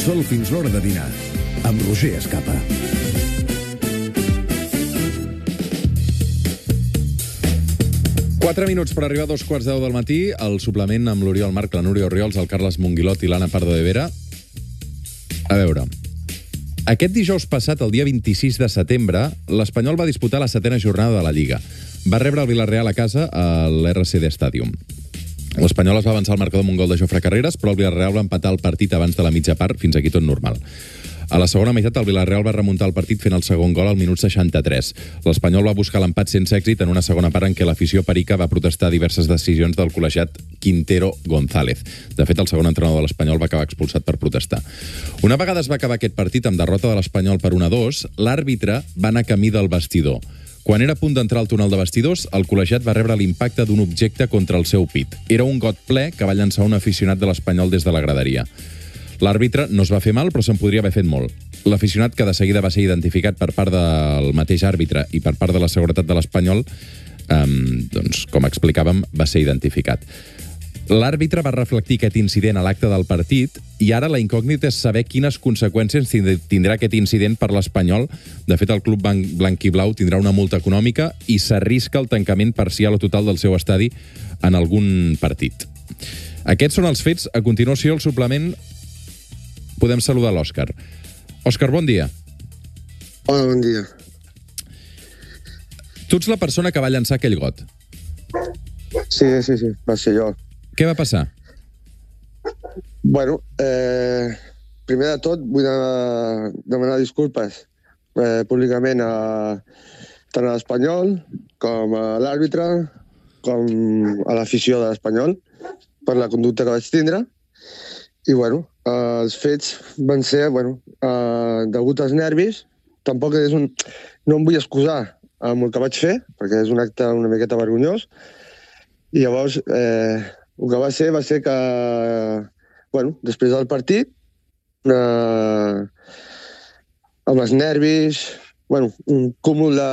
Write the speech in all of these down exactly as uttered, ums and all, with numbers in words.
Sol fins l'hora de dinar, amb Roger Escapa. Quatre minuts per arribar a dos quarts de deu del matí, el suplement amb l'Oriol Marc, la Núria Orriols, el Carles Monguilot i l'Anna Pardo de Vera. A veure, aquest dijous passat, el dia vint-i-sis de setembre, l'Espanyol va disputar la setena jornada de la Lliga. Va rebre el Villarreal a casa a l'R C D Stadium. L'Espanyol es va avançar al marcador amb un gol de Jofre Carreras, però el Villarreal va empatar el partit abans de la mitja part, fins aquí tot normal. A la segona meitat, el Villarreal va remuntar el partit fent el segon gol al minut seixanta-tres. L'Espanyol va buscar l'empat sense èxit en una segona part en què l'afició perica va protestar diverses decisions del col·legiat Quintero González. De fet, el segon entrenador de l'Espanyol va acabar expulsat per protestar. Una vegada es va acabar aquest partit amb derrota de l'Espanyol per un a dos, l'àrbitre va anar camí del vestidor. Quan era a punt d'entrar al túnel de vestidors, el col·legiat va rebre l'impacte d'un objecte contra el seu pit. Era un got ple que va llançar un aficionat de l'Espanyol des de la graderia. L'àrbitre no es va fer mal, però se'n podria haver fet molt. L'aficionat, que de seguida va ser identificat per part del mateix àrbitre i per part de la seguretat de l'Espanyol, eh, doncs, com explicàvem, va ser identificat. L'àrbitre va reflectir aquest incident a l'acte del partit i ara la incògnita és saber quines conseqüències tindrà aquest incident per l'Espanyol. De fet, el club blanquiblau tindrà una multa econòmica i s'arrisca el tancament parcial o total del seu estadi en algun partit. Aquests són els fets. A continuació, el suplement, podem saludar l'Òscar. Òscar, bon dia. Hola, bon dia. Tu ets la persona que va llançar aquell got. Sí, sí, sí, va ser jo. Què va passar? Bueno, eh, primer de tot vull demanar disculpes eh, públicament a, tant a l'Espanyol com a l'àrbitre com a l'afició de l'Espanyol per la conducta que vaig tindre. I, bueno, eh, els fets van ser, bueno, eh, degut als nervis. Tampoc és un... No em vull excusar amb el que vaig fer, perquè és un acte una miqueta vergonyós. I llavors, eh, el que va ser va ser que, bueno, després del partit, eh, amb els nervis, bueno, un cúmul de,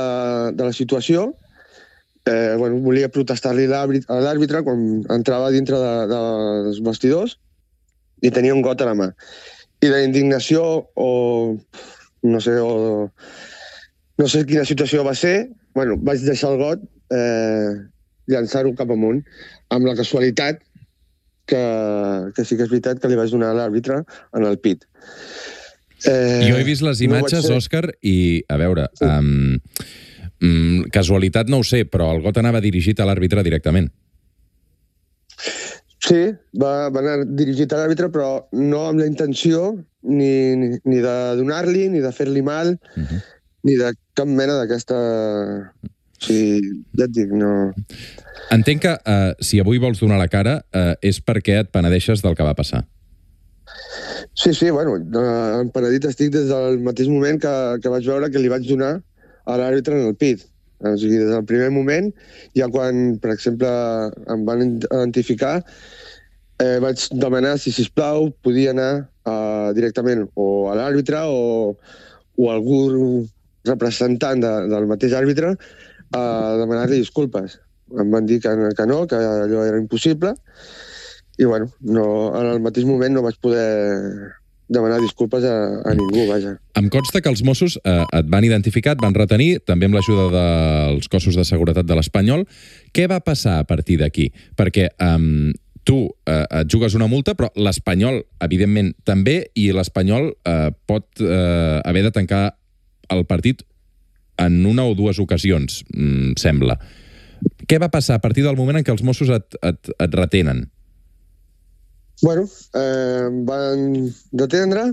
de la situació, eh, bueno, volia protestar-li a l'àrbitre quan entrava dintre de, de, dels vestidors i tenia un got a la mà. I la indignació, o no sé, o no sé quina situació va ser, bueno, vaig deixar el got, eh, llançar-ho cap amunt, amb la casualitat que, que sí que és veritat que li vaig donar a l'àrbitre en el pit. Eh, jo he vist les imatges, no Òscar, i, a veure, sí. um, um, casualitat no ho sé, però el got anava dirigit a l'àrbitre directament. Sí, va, va anar dirigit a l'àrbitre, però no amb la intenció ni, ni, ni de donar-li, ni de fer-li mal, uh-huh. ni de cap mena d'aquesta... O sigui, ja et dic, no... Entenc que uh, si avui vols donar la cara uh, és perquè et penedeixes del que va passar. Sí, sí, bueno, uh, penedit estic des del mateix moment que, que vaig veure que li vaig donar a l'àrbitre en el pit. O sigui, des del primer moment, ja quan, per exemple, em van identificar, eh, vaig demanar si, sisplau, podia anar uh, directament o a l'àrbitre o, o algú representant de, del mateix àrbitre a demanar-li disculpes. Em van dir que, que no, que allò era impossible, i bueno, no, en el mateix moment no vaig poder demanar disculpes a, a ningú, vaja. Em consta que els Mossos eh, et van identificar, et van retenir, també amb l'ajuda dels cossos de seguretat de l'Espanyol. Què va passar a partir d'aquí? Perquè eh, tu eh, et jugues una multa, però l'Espanyol, evidentment, també, i l'Espanyol eh, pot eh, haver de tancar el partit en una o dues ocasions, mm, sembla. Què va passar a partir del moment en què els Mossos et, et, et retenen? Bueno, eh, em van detendre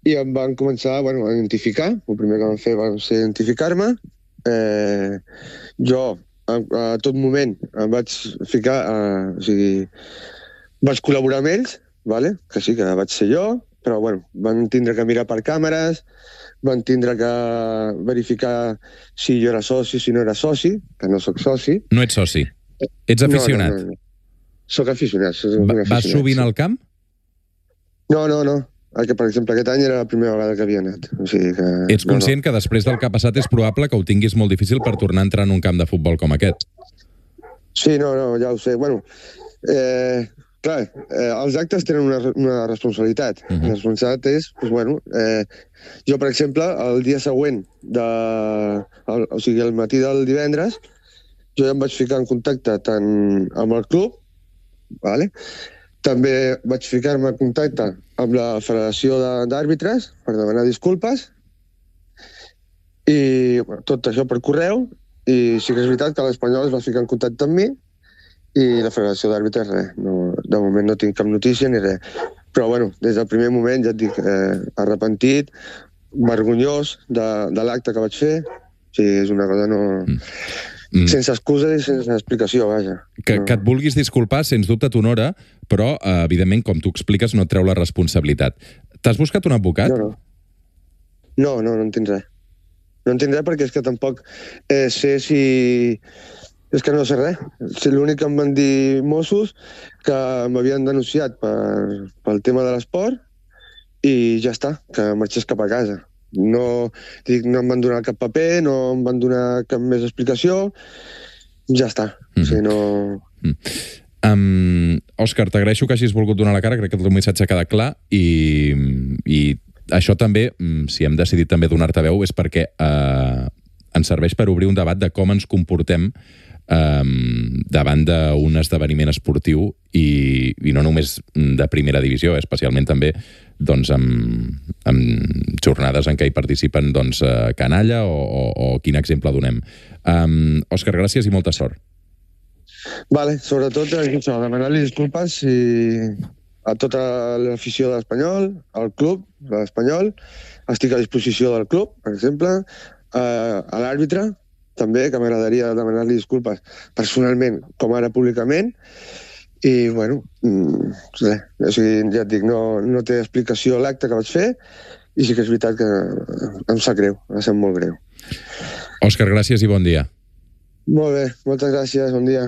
i em van començar bueno, a identificar. El primer que van fer va ser identificar-me. Eh, jo, a, a tot moment, em vaig ficar... Eh, o sigui, vaig col·laborar amb ells, vale? Que sí, que vaig ser jo, però bueno, van tindre que mirar per càmeres, van tindre que verificar si jo era soci, si no era soci, que no sóc soci. No ets soci? Ets aficionat? No, no, no. Soc aficionat. Soc Va, aficionat. Vas sovint al camp? No, no, no. Que, per exemple, aquest any era la primera vegada que havia anat. O sigui que... Ets conscient no, no. que després del que ha passat és probable que ho tinguis molt difícil per tornar a entrar en un camp de futbol com aquest? Sí, no, no, ja ho sé. Bueno, eh, clar, eh, els actes tenen una, una responsabilitat. Uh -huh. La responsabilitat és, doncs, bueno, eh, jo, per exemple, el dia següent, de, el, o sigui, el matí del divendres, jo ja em vaig ficar en contacte tant amb el club, vale? També vaig ficar-me en contacte amb la Federació d'Àrbitres per demanar disculpes, i bueno, tot això per correu, i sí que és veritat que l'Espanyol es va ficar en contacte amb mi, i la Federació d'Àrbitres, res, no, de moment no tinc cap notícia ni res. Però, bueno, des del primer moment, ja et dic, eh, arrepentit, vergonyós de, de l'acte que vaig fer. O sigui, és una cosa no... Mm. Sense excusa i sense explicació, vaja. Que, no. que et vulguis disculpar, sens dubte t'honora, però, eh, evidentment, com tu expliques, no et treu la responsabilitat. T'has buscat un advocat? No, no. No, no, no en tinc res. No en tinc res perquè és que tampoc eh, sé si... És que no sé res. L'únic que em van dir Mossos que m'havien denunciat per, pel tema de l'esport i ja està, que marxés cap a casa. No, dic, no em van donar cap paper, no em van donar cap més explicació, ja està. Mm. O sigui, no... Mm. Um, Òscar, t'agraeixo que hagis volgut donar la cara, crec que el teu missatge queda clar i, i això també, si hem decidit també donar-te veu, és perquè eh, ens serveix per obrir un debat de com ens comportem Um, davant d'un esdeveniment esportiu i, i no només de primera divisió, especialment també doncs, amb, amb jornades en què hi participen doncs, canalla o, o, o quin exemple donem. Um, Òscar, gràcies i molta sort. Vale, sobretot això, demanar-li disculpes i a tota l'afició de l'Espanyol, al club de l'Espanyol, estic a disposició del club, per exemple, a, a l'àrbitre, també, que m'agradaria demanar-li disculpes personalment, com ara públicament, i, bueno, res, o sigui, ja et dic, no, no té explicació l'acte que vaig fer, i sí que és veritat que em sap greu, em sap molt greu. Òscar, gràcies i bon dia. Molt bé, moltes gràcies, bon dia.